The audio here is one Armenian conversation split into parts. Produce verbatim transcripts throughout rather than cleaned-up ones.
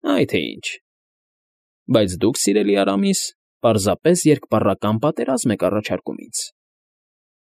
Այ թե ինչ։ Բայց դուք, սիրելի Արամիս, պարզապես երկպառական պատերազմ եք առաջարկում ինձ,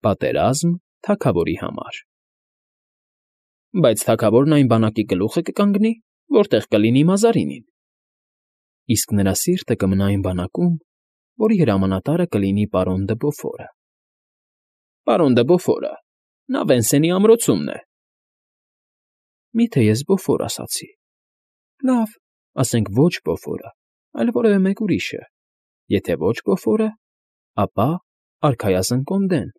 պատերազմ թագավորի համար։ Բայց թագավորն այն բանակի գլուխը կկանգնի, որտեղ կլինի Մազարինին, իսկ նրա սիրտը կմնա այն բանակում, որի հրամանատարը կլինի պարոն դը Բոֆորը։ Պարոն դը Բոֆորը, նա Վենսենի ամրոցումն է։ Մի՞թե ես Բոֆոր ասացի։ Լավ, ասենք ոչ Բոֆորը, այլ որևէ մեկ ուրիշը, եթե ոչ Բոֆորը, ապա արքայազն Կոնդեն։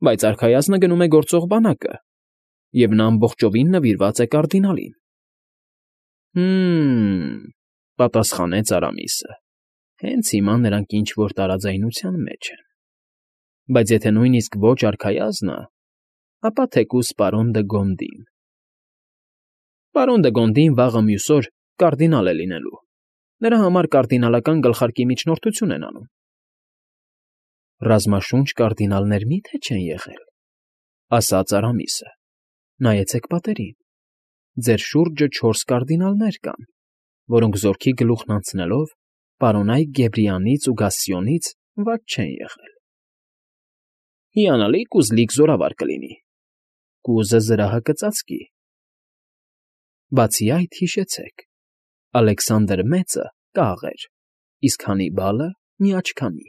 Բայց արքայազնը գնում է գործող բանակը, և նա ամբողջովին նվիրված է կարդինալին։ Հը՛մ,֊ պատասխանեց Արամիսը, հենց հիմա նրանք ինչ֊որ տարաձայնության մեջ են։ Բայց եթե նույնիսկ ոչ արքայազնը, ապա թեկուզ պարոն դը Գոնդին։ Պարոն դը Գոնդին վաղը մյուս օր կարդինալ է լինելու, նրա համար կարդինալական գլխարկի միջնորդություն են անում։ Ռազմաշունչ կարդինալներ մի՞թե չեն եղել,֊ ասաց Արամիսը։ Նայեցեք պատերին. ձեր շուրջը չորս կարդինալներ կան, որոնք զորքի գլուխն անցնելով պարոնայք Գեբրիանից ու Գասսիոնից վատ չեն եղել։ Հիանալի կուզլիկ զորավար կլինի, կուզը զրահը կծածկի։ Բացի այդ, հիշեցեք, Ալեքսանդր Մեծը կաղ էր, իսկ Հանիբալը՝ միաչքանի։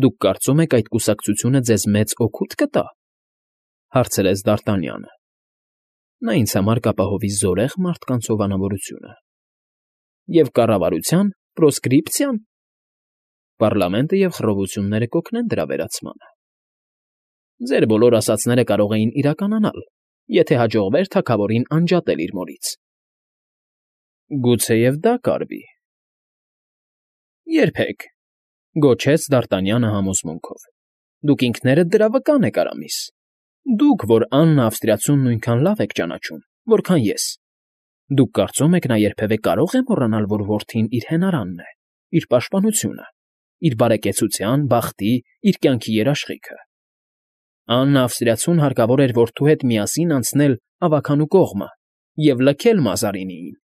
Դուք կարծում եք այդ կուսակցությունը ձեզ մեծ օգուտ կտա,֊ հարցրեց Դարտանյանը։ Նա ինձ համար կապահովի զորեղ մարդկանց հովանավորությունը։ Եվ կառավարության պրոսկրիպցիա՞ն։ Պառլամենտը և խռովությունները կօգնեն դրա վերացմանը։ Ձեր բոլոր ասածները կարող էին իրականանալ, եթե հաջողվեր թագավորին անջատել իր մորից։ Գուցեև դա կարվի։ Երբեք,֊ գոչեց Դարտանյանը համոզմունքով։ Դուք ինքներդ դրա վկան եք, Արամիս։ Դուք, որ Աննա Ավստրիացուն նույնքան լավ եք ճանաչում, որքան ես։ Դուք կարծում եք, նա երբևէ կարող է մոռանալ, որ որդին իր հենարանն է, իր պաշտպանությունը, իր բարեկեցության, բախտի, իր կյանքի երաշխիքը։ Աննա Ավստրիացուն հարկավոր էր որդու հետ միասին անցնել ավագանու կողմը և լքել Մազարինիին,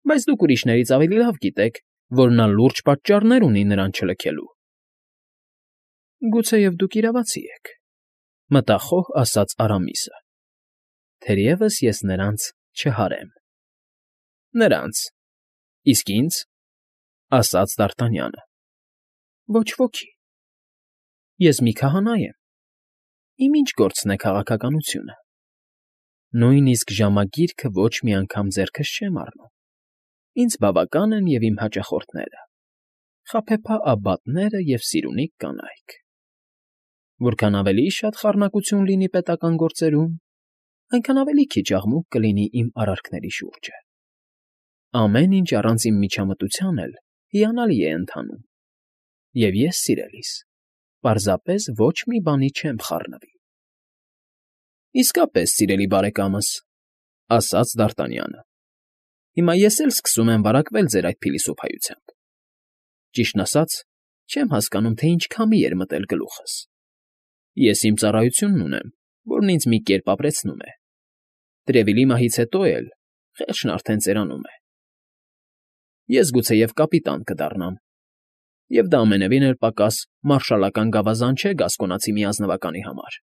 բայց դուք ուրիշներից ավելի լավ գիտեք, որ նա լուրջ պատճառներ ունի նրան չլքելու։ Գուցեև դուք իրավացի եք,֊ մտախոհ ասաց Արամիսը։ Թերևս ես նրանց չհարեմ։ Նրանց, իսկ ինձ,֊ ասաց Դարտանյանը։ Ոչ ոքի։ Ես մի քահանա եմ։ Իմ ինչ գործն է քաղաքականությունը։ Նույնիսկ ժամագիրքը ոչ մի անգամ ձեռքս չեմ առնում։ Ինձ բավական են և իմ հաճախորդները, խաբեբա աբբատները և սիրունիկ կանայք։ Որքան ավելի շատ խառնակություն լինի պետական գործերում, այնքան ավելի քիչ աղմուկ կլինի իմ արարքների շուրջը։ Ամեն ինչ առանց իմ միջամտության էլ հիանալի է ընթանում։ Եվ ես, սիրելիս, պարզապես ոչ մի բանի չեմ խառնվի։ Իսկապես, սիրելի բարեկամս,֊ ասաց Դարտանյանը, հիմա ես էլ սկսում եմ վարակվել ձեր այդ փիլիսոփայությամբ։ Ճիշտն ասած, չեմ հասկանում, թե ինչ քամի էր մտել գլուխս։ Ես իմ ծառայությունն ունեմ, որն ինձ մի կերպ ապրեցնում է։ Տրևիլի մահից հետո էլ խեղճն արդեն ծերանում է։ Ես գուցեև կապիտան կդառնամ, և դա ամենևին էլ պակաս մարշալական գավազան չէ գասկոնացի մի ազնվականի համար,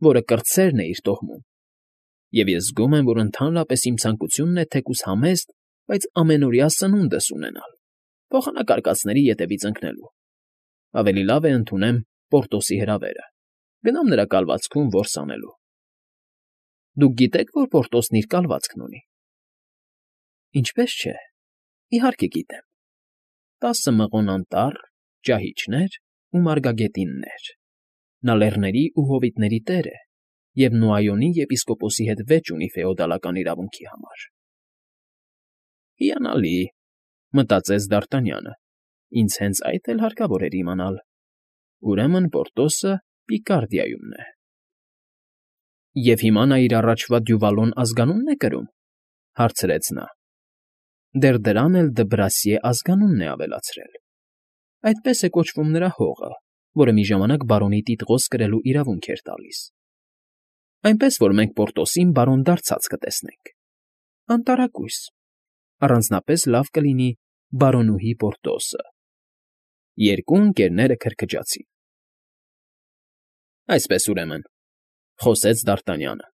որը կրտսերն է իր տոհմում, և ես զգում եմ, որ ընդհանրապես իմ ցանկությունն է թեկուզ համեստ, բայց ամենօրյա սնունդս ունենալ, փոխանակարկածների ետևից ընկնելու։ Ավելի լավ է ընդունեմ Պորտոսի հրավերը, գնամ նրա կալվածքում որս անելու։ Դուք գիտեք, որ Պորտոսն իր կալվածքն ունի։ Ինչպե՞ս չէ, իհարկե գիտեմ։ Տասը մղոն անտառ, ճահիճներ ու մարգագետիններ։ Նա լեռների ու հովիտների տեր է և Նոայոնի եպիսկոպոսի հետ վեճ ունի ֆեոդալական իրավունքի համար։ Հիանալի,֊ մտածեց Դարտանյանը, ինձ հենց այդ էլ հարկավոր էր իմանալ։ Ուրեմն Պորտոսը Պիկարդիայումն է։ Եվ հիմա նա իր առաջվա Դյուվալոն ազգանո՞ւնն է կրում,֊ հարցրեց նա։ Դեռ դրան էլ Դբրասիե ազգանունն է ավելացրել։ Այդպես է կոչվում նրա հողը, որը մի ժամանակ բարոնի տիտղոս կրելու իրավունք էր տալիս։ Այնպես որ մենք Պորտոսին բարոն դարձած կտեսնենք։ Անտարակույս։ առանձնապես լավ կլինի բարոնուհի Պորտոսը։ Երկու ընկերները քրքջացին։ ֊ Այսպես, ուրեմն,֊ խոսեց Դ'Արտանյանը,֊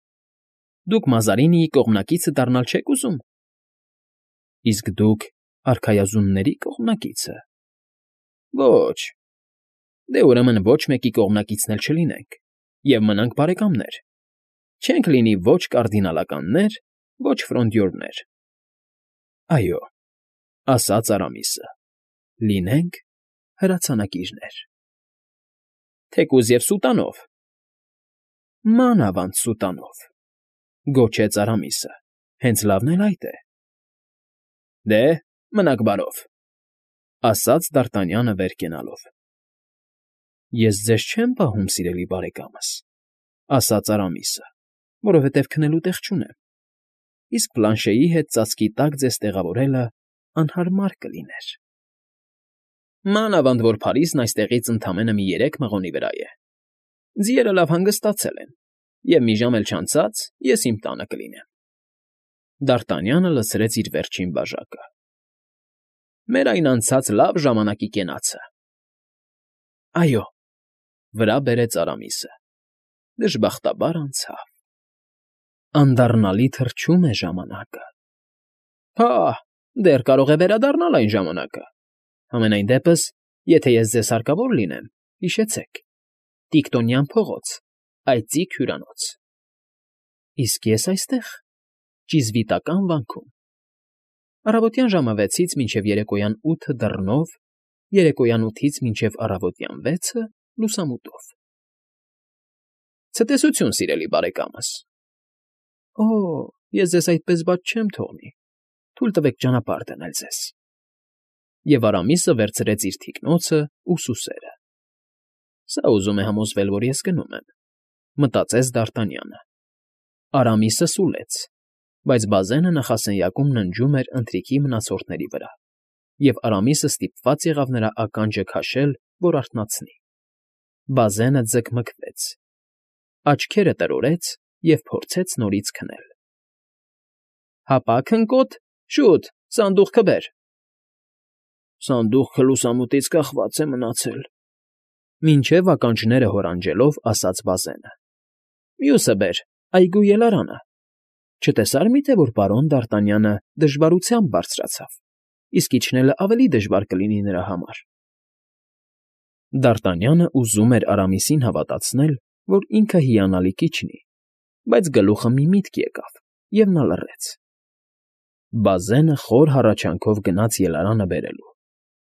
դուք Մազարինիի կողմնակիցը դառնալ չեք ուզում։ ֊ Իսկ դուք արքայազունների կողմնակի՞ցը։ ֊ Ոչ։ ֊ Դե, ուրեմն ոչ մեկի կողմնակիցն էլ չլինենք և մնանք բարեկամներ, չենք լինի ոչ կարդինալականներ, ոչ ֆրոնդյորներ։ ֊ Այո,֊ ասաց Արամիսը,֊ լինենք հրացանակիրներ։ ֊ Թեկուզ և սուտանով։ ֊ Մանավանդ սուտանով,֊ գոչեց Արամիսը,֊ հենց լավն էլ այդ է։ ֊ Դե, մնաք բարով,֊ ասաց Դ'Արտանյանը վեր կենալով։ ֊ Ես ձեզ չեմ պահում, սիրելի բարեկամս,֊ ասաց Արամիսը,֊ որովհետև քնելու տեղ չունեմ, իսկ Պլանշեի հետ ծածկի տակ ձեզ տեղավորելը անհարմար կլիներ։ ֊ Մանավանդ որ Փարիզն այստեղից ընդամենը մի երեք մղոնի վրա է։ Ձիերը լավ հանգստացել են, և մի ժամ էլ չանցած ես իմ տանը կլինեմ։ Դ'Արտանյանը լցրեց իր վերջին բաժակը։ ֊ Մեր այն անցած լավ ժամանակի կենացը։ ֊ Այո,֊ վրա բերեց Արամիսը,֊ դժբախտաբար անցավ։ Անդառնալի թռչում է ժամանակը։ ֊ Փահ, դեռ կարող է վերադառնալ այն ժամանակը։ Համենայն դեպս, եթե ես ձեզ հարկավոր լինեմ, հիշեցեք. Տիկտոնյան փողոց, այծիկ հյուրանոց։ ֊ Իսկ ես այստեղ, ճիզվիտական վանքում, առավոտյան ժամը վեցից մինչև երեկոյան ութը դռնով, երեկոյան ութից մինչև առավոտյան վեցը լուսամուտով։ ֊ Ցտեսություն, սիրելի բարեկամս։ ֊ Օ՜, ես ձեզ այդպես բաց չեմ թողնի, թույլ տվեք ճանապարհ դնել ձեզ։ Եվ Արամիսը վերցրեց իր թիկնոցն ու սուսերը։ «Սա ուզում է համոզվել, որ ես գնում եմ,֊ մտածեց Դ'Արտանյանը։ Արամիսը սուլեց, բայց բազենը նախասենյակում ննջում էր ընթրիքի մնացորդների վրա, և Արամիսը ստիպված եղավ նրա ականջը քաշել, որ արթնացնի։ Բազենը ձգմգվեց, աչքերը տրորեց և փորձեց նորից քնել։ ֊ Հապա, քնկոտ, շուտ, սանդուղքը բեր։ ֊ Սանդուղքը լուսամուտից կախված է մնացել,֊ մինչև ականջները հորանջելով ասաց բազենը։ ֊ Մյուսը բեր, այգու ելարանը։ Չտեսա՞ր միթե, որ պարոն Դ'Արտանյանը դժվարությամբ բարձրացավ, իսկ իջնելը ավելի դժվար կլինի նրա համար։ Դ'Արտանյանը ուզում էր Արամիսին հավատացնել, որ ինքը հիանալի կիջնի, բայց գլուխը մի միտք եկավ, և նա լռեց։ Բազենը խոր հառաչանքով գնաց ելարանը բերելու։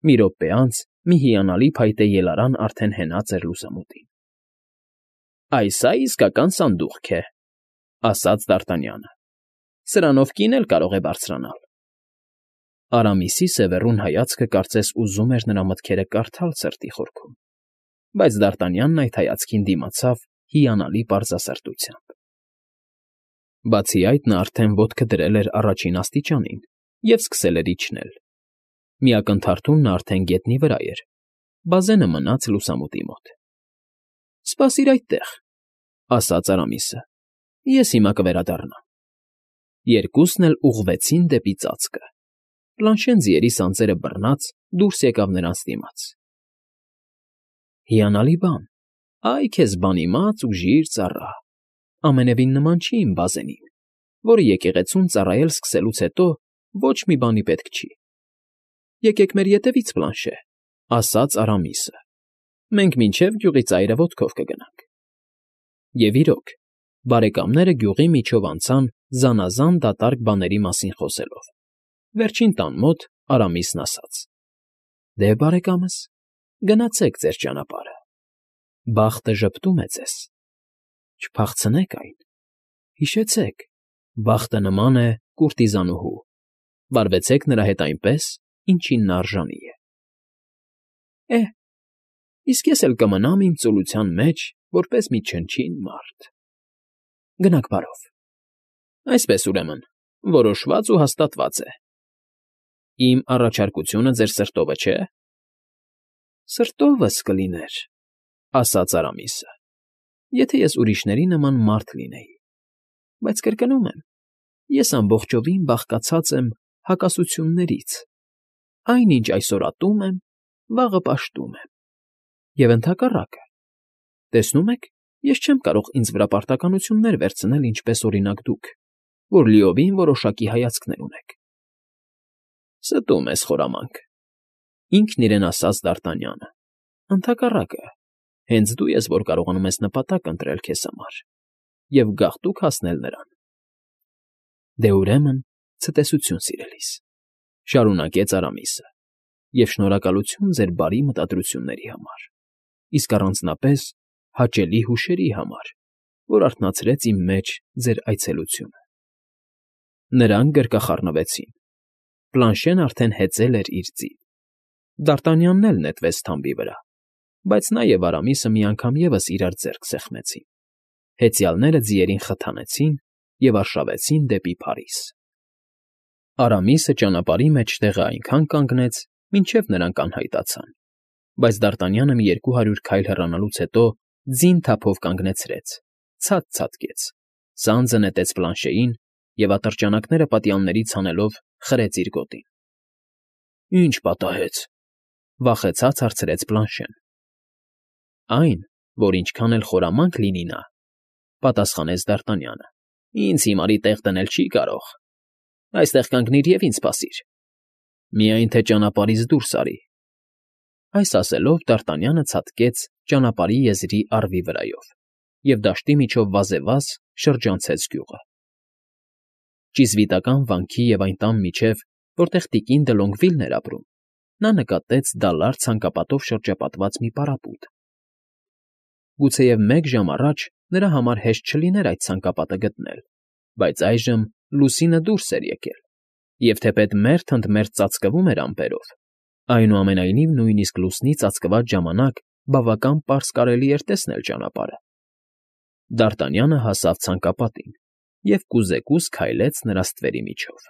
Մի րոպե անց մի հիանալի փայտե ելարան արդեն հենած էր լուսամուտին։ ֊ Այս ա իսկական սանդուղք է,֊ ասաց Դ'Արտանյանը,֊ սրանով կին էլ կարող է բարձրանալ։ Արամիսի սևեռուն հայացքը կարծես ուզում էր նրա մտքերը կարդալ սրտի խորքում, բայց Դ'Արտանյանն այդ հայացքին դիմացավ հիանալի պարզասրտությամբ։ Բացի այդ, նա արդեն ոտքը դրել էր առաջին աստիճանին և սկսել էր իջնել։ Մի ակնթարթում նա արդեն գետնի վրա էր, բազենը մնաց լուսամուտի մոտ։ ֊ Սպասիր այդտեղ,֊ ասաց Արամիսը,֊ ես հիմա կվերադառնամ։ Երկուսն էլ ուղղվեցին դեպի ծածկը։ Պլանշեն ձիերի սանձերը բռնած դուրս եկավ նրանց դիմաց։ ֊ Հիանալի բան, այ քեզ բանիմաց, ուժիր ծառա, ամենևին նման չի իմ բազենին, որը եկեղեցուն ծառայել սկսելուց հետո ոչ մի բանի պետք չի։ ֊ Եկեք մեր ետևից, Պլանշե,֊ ասաց Արամիսը,֊ մենք մինչև գյուղի ծայրը ոտքով կգնանք։ Եվ իրոք, բարեկամները գյուղի միջով անցան զանազան դատարկ բաների մասին խոսելով։ Վերջին տան մոտ Արամիսն ասաց. ֊ Դե, բարեկամս, գնացեք ձեր ճանապարհը, բախտը ժպտում է ձեզ, չփախցնեք այն, հիշեցեք, բախտը նման է կուրտիզանուհու, վարվեցեք նրա հետ այնպես, ինչին նա արժանի է։ ֊ Է՛հ, իսկ ես էլ կմնամ իմ ծուլության մեջ որպես մի չնչին մարդ… Գնաք բարով։ Այսպես, ուրեմն, որոշված ու հաստատված է։ Իմ առաջարկությունը ձեր սրտովը չէ՞։ ֊ Սրտովս կլիներ,֊ ասաց Արամիսը, եթե ես ուրիշների նման մարդ լինեի, բայց կրկնում եմ, ես ամբողջովին բաղկացած եմ հակասություններից. այն, ինչ այսօր ատում եմ, վաղը պաշտում եմ, և ընդհակառակը. տեսնում եք, ես չեմ կարող ինձ վրա պարտականություններ վերցնել, ինչպես, օրինակ, դուք, որ լիովին որոշակի հայացքներ ունեք։ Ստում ես խորամանկ,֊ ինքն իրեն ասաց Դ'Արտանյանը,֊ ընդհակառակը, հենց դու ես, որ կարողանում ես նպատակ ընտրել քեզ համար և գաղտուկ հասնել նրան։ Դե, ուրեմն, ցտեսություն, սիրելիս,֊ շարունակեց Արամիսը,֊ և շնորհակալություն ձեր բարի մտադրությունների համար, իսկ առանձնապես հաճելի հուշերի համար, որ արթնացրեց իմ մեջ ձեր այցելությունը։ Նրանք գրկախառնվեցին. Պլանշեն արդեն հեծել էր իր ձին, Դ'Արտանյանն էլ նետվեց թամբի վրա, բայց նա և Արամիսը մի անգամ ևս իրար ձեռք սեղմեցին, հեծյալները ձիերին խթանեցին և արշավեցին դեպի Փարիզ։ Արամիսը ճանապարհի մեջտեղը այնքան կանգնեց, մինչև նրանք անհայտացան, բայց Դ'Արտանյանը մի երկու հարյուր քայլ հեռանալուց հետո ձին թափով կանգնեցրեց, ցած ցատկեց, սանձը նետեց պլանշեին և ատրճանակները պատյալներից հանելով խրեց իր գոտին։ ֊ Ի՞նչ պատահեց,֊ վախեցած հարցրեց պլանշեն։ ֊ Այն, որ ինչքան էլ խորամանկ լինի նա,֊ պատասխանեց Դ'Արտանյանը,֊ ինձ հիմարի տեղ դնել չի կարող։ Այստեղ կանգնիր և ինձ սպասիր, միայն թե ճանապարհից դուրս արի։ Այս ասելով Դ'Արտանյանը ցատկեց ճանապարհի եզրի առվի վրայով և դաշտի միջով վազեվազ շրջանցեց գյուղը։ Ճիզվիտական վանքի և այն տան միջև, որտեղ տիկին դը Լոնգվիլն էր ապրում, նա նկատեց դալար ցանկապատով շրջապատված մի պարապույտ։ Գուցեև մեկ ժամ առաջ նրա համար հեշտ չլիներ այդ ցանկապատը գտնել, բայց այժմ լուսինը դուրս էր եկել, և թեպետ մերթ ընդ մերթ ծածկվում էր ամպերով, այնուամենայնիվ նույնիսկ լուսնի ծածկված ժամանակ բավական պարզ կարելի էր տեսնել ճանապարհը։ Դ'Արտանյանը հասավ ցանկապատին և կուզեկուզ քայլեց նրա ստվերի միջով։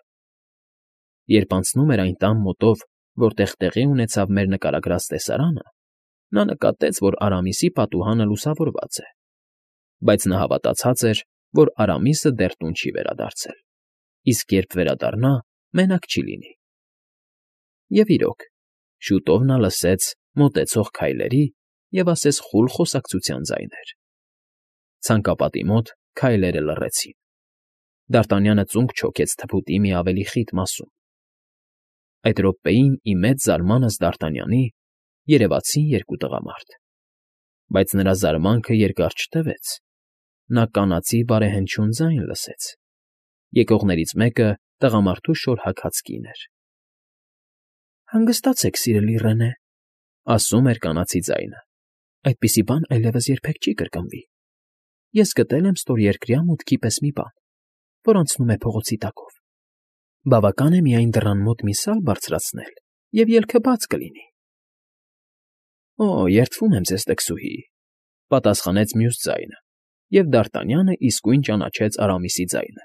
Երբ անցնում էր այն տան մոտով, որտեղ տեղի ունեցավ մեր նկարագրած տեսարանը, նա նկատեց, որ Արամիսի պատուհանը լուսավորված է, բայց նա հավատացած էր, որ Արամիսը դեռ տուն չի վերադարձել, իսկ երբ վերադառնա, մենակ չի լինի։ Եվ իրոք, շուտով նա լսեց մոտեցող քայլերի և ասես խուլ խոսակցության ձայներ։ Ցանկապատի մոտ քայլերը լռեցին։ Դ'Արտանյանը ծունկ չոքեց թփուտի մի ավելի խիտ մասում։ Այդ րոպեին, ի մեծ զարմանս Դ'Արտանյանի, երևացին երկու տղամարդ, բայց նրա զարմանքը երկար չտևեց. նա կանացի բարեհնչյուն ձայն լսեց. եկողներից մեկը տղամարդու շոր հագած կին էր։ ֊ Հանգստացեք, սիրելի Ռենե,֊ ասում էր կանացի ձայնը,֊ այդպիսի բան այլևս երբեք չի կրկնվի։ Ես գտել եմ ստորերկրյա մուտքի պես մի բան, որ անցնում է փողոցի տակով։ Բավական է միայն դռան մոտ մի սալ բարձրացնել, և ելքը բաց կլինի։ ֊ Օ, երդվում եմ ձեզ, տքսուհի,֊ պատասխանեց մյուս ձայնը, և Դ'Արտանյանը իսկույն ճանաչեց Արամիսի ձայնը,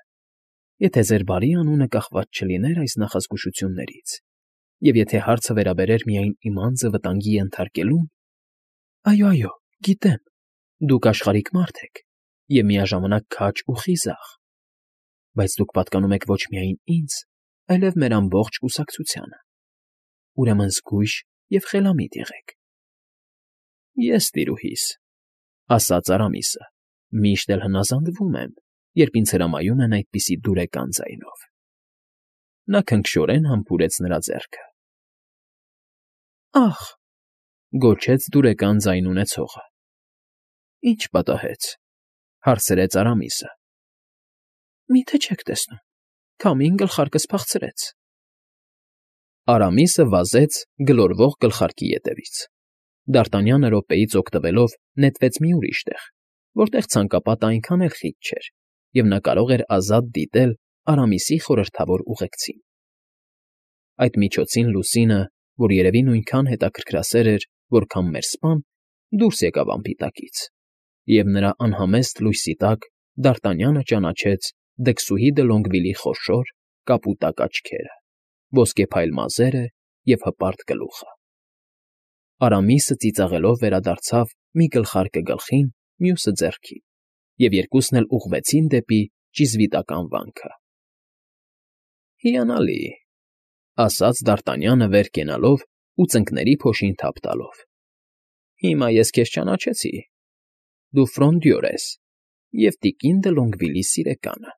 եթե ձեր բարի անունը կախված չլիներ այս նախազգուշություններից, և եթե հարցը վերաբերեր միայն իմ անձը վտանգի ենթարկելուն… Այո, այո, գիտեմ, դուք աշխարհիկ մարդ եք և միաժամանակ քաջ ու խիզախ, բայց դուք պատկանում եք ոչ միայն ինձ, այլև մեր ամբողջ կուսակցությանը, ուրեմն զգույշ և խելամիտ եղեք։ ֊ Ես, տիրուհիս,֊ ասաց Արամիսը,֊ միշտ էլ հնազանդվում եմ, երբ ինձ հրամայում են այդպիսի դուրեկան ձայնով։ Նա քնքշորեն համբուրեց նրա ձեռքը։ ֊ Ա՜խ,֊ գոչեց դուրեկան ձայն ունեցողը։ ֊ Ի՞նչ պատահեց,֊ հարցրեց Արամիսը։ ֊ Մի՞թե չեք տեսնում, քամին գլխարկս փախցրեց։ Արամիսը վազեց գլորվող գլխարկի ետևից։ Դ'Արտանյանը րոպեից օգտվելով նետվեց մի ուրիշ տեղ, որտեղ ցանկապատը այնքան էլ խիտ չէր, և նա կարող էր ազատ դիտել Արամիսի խորհրդավոր ուղեկցին։ Այդ միջոցին լուսինը, որ երևի նույնքան հետաքրքրասեր էր, որքան մեր սպան, դուրս եկավ ամպի տակից, և նրա անհամեստ լույսի տակ Դ'Արտանյանը ճանաչեց դքսուհի դը Լոնգվիլի խոշոր, կապուտակ աչքերը, ոսկեփայլ մազերը և հպարտ գլուխը։ Արամիսը ծիծաղելով վերադարձավ մի գլխարկը գլխին, մյուսը ձեռքին, և երկուսն էլ ուղղվեցին դեպի ճիզվիտական վանքը։ ֊ Հիանալի,֊ Ասաց Դարտանյանը վեր կենալով ու ծնկների փոշին թափ տալով։֊ Հիմա ես քեզ ճանաչեցի. դու Ֆրոնդյոր ես և տիկին Դը Լոնգվիլի սիրեկանը։